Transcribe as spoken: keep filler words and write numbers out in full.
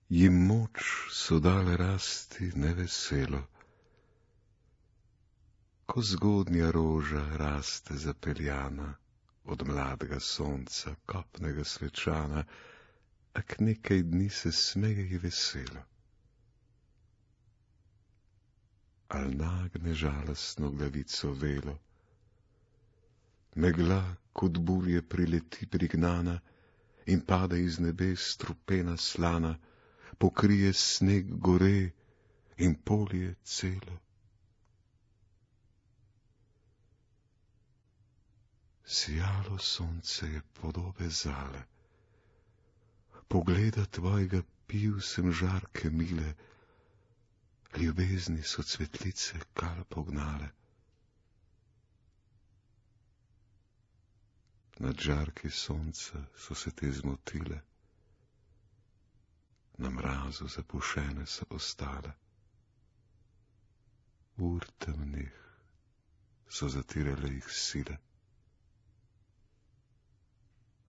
Jim moč so dale rasti neveselo, ko zgodnja roža raste zapeljana od mladega sonca, kopnega svečana, a k nekaj dni se smeje veselo. Al nagne žalostno glavico velo, megla kot bulje prileti prignana in pade iz nebes strupena slana, pokrije sneg gore in polje celo. Sijalo sonce je podobe zale, pogleda tvojega pil sem žarke mile, ljubezni so cvetlice kal pognale. Nad žarki sonca so se te zmotile, na mrazu zapušene so ostale. Ur temnih so zatirale jih sile.